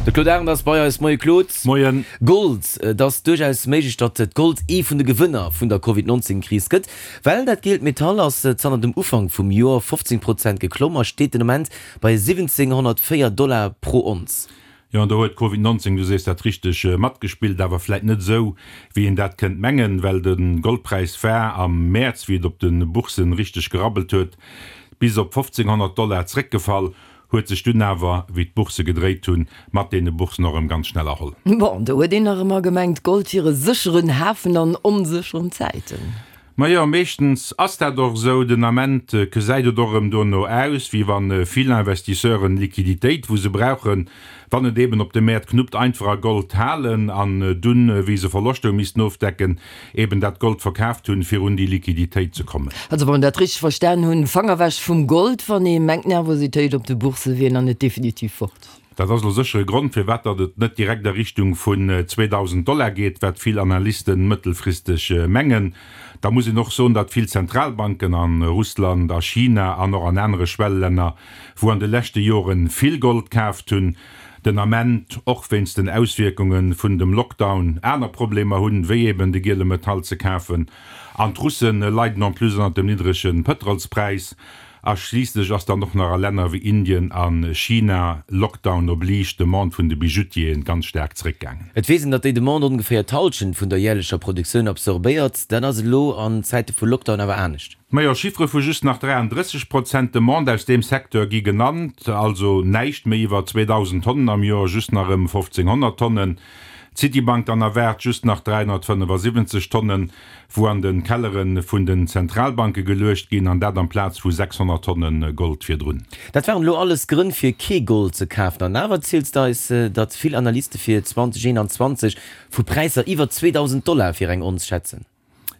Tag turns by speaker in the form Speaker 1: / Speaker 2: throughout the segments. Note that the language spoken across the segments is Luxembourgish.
Speaker 1: De Claude Arend ass bei eis. Moie Claude.
Speaker 2: Moien.
Speaker 1: Gold, Et ass duerchaus méiglech, datt d'Gold ee vun de Gewënner vun der Covid 19 Kris gëtt, well dat gielt Metall ass zanter dem Ufank vum Joer 15 Prozent geklomm a steet den Ament bei 1704 Dollar pro Onz.
Speaker 2: Jo, an do huet Covid 19, du sees dat richteg, matgespillt, awer vläit net esou, wéi een dat kënnt mengen, well de Goldpräis war am Mäerz, wéi et op de Bourssen richteg gerabbelt huet, bis op 1.500 Dollar zréckgefall, huet sech dunn awer, wéi d'Boursse gedréit hunn, mat deene Bourssen och erëm ganz schnell erholl.
Speaker 3: Bon, do huet een nach ëmmer gemengt, Gold wier e sécheren Hafen an onsécheren Zäiten.
Speaker 2: Majo, meeschtens ass dat och esou. Den Ament gesäit et och erëm dono aus, wéi wa vill Investisseuren Liquiditéit, wou se brauchen, wann et eben op de Mäert knuppt, einfach a Gold halen an dunn, wéi se Verloschter hu missten ofdecken, eben dat Gold verkaaft hunn, fir un déi Liquiditéit ze kommen.
Speaker 3: Also wann dat richteg verstan hunn, Fanger wech vum Gold, wann ee mengt Nervositéit op de Bourse wier nach net definitiv fort.
Speaker 2: Dat ass elo sécher e Grond, firwat datt et net direkt a Richtung vun 2.000 Dollar geet, wat vill Analysten mëttelfristeg mengen. Da muss een och soen, datt vill Zentralbanken a Russland, a China an och an anere Schwellelänner, wou an de leschte Jore vill Gold kaaft hunn, den Ament och wéinst den Auswierkunge vun dem Lockdown aner Problemer hunn, wéi eben de giele Metall ze kafen. An d'Russe leiden en plus ënnert dem niddrege Pëtrolspräis. A schliisslech ass dann och nach a Länner wéi Indien a China, Lockdown oblige, d'Demande vun de Bijoutieren ganz staark zeréckgaangen.
Speaker 1: Et weess een, datt déi Demande ongeféier d'Hallschent vun der järlecher Produktioun absorbéiert. Dat ass elo an Zäite vu Lockdown awer anescht.
Speaker 2: Majo, Chiffere vu just nach 33 Prozent Demande aus deem Secteur gi genannt, also näischt méi iwwer 2.000 Tonnen am Joer, just nach ëm 1.500 Tonnen. D'Citibank dann erwaart just nach 375 Tonnen. wou an de Kellere vun den Zentralbanke geluecht ginn, an dat amplaz vu 600 Tonne Gold virdrun.
Speaker 1: Dat waren elo alles Grënn fir kee Gold ze kafen. An awer ziels de eis, datt vill Analyste fir 2021 vu Präisser iwwer 2.000 Dollar fir eng Onz schätzen.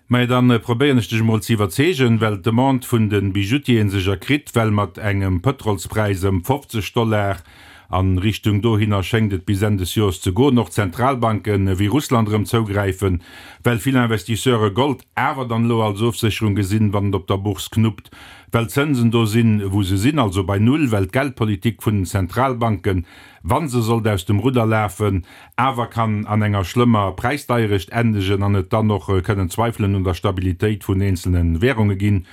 Speaker 2: Majo, dann probéieren ech dech emol ze iwwerzeegen, well d'Demande vun de Bijoutieren sech erkritt, well mat engem Pëtrolspräis ëm 50 Dollar An Richtung dohinner schéngt et bis Enn des Joers ze goen. Och Zentralbanken wéi Russland erëm zougräifen, well vill Investisseure Gold awer dann elo als Ofsécherung gesinn, wann et op der Bourse knuppt, well d'Zënsen do sinn, wou se sinn, also bei Null, well d'Geldpolitik vun den Zentralbanken, wa se sollt aus dem Rudder lafen, awer kann an enger schlëmmer Präisdeierecht endegen an et dann och kënnen Zweifelen un der Stabilitéit vun eenzelne Währunge ginn.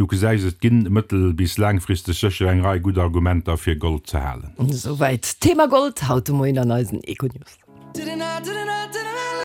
Speaker 2: Du gesäis, et ginn mëttel bis laangfristeg sécher eng Rei gutt Argumenter fir Gold ze halen.
Speaker 3: Esouwäit d'Thema Gold haut de Moien an eisen Econews.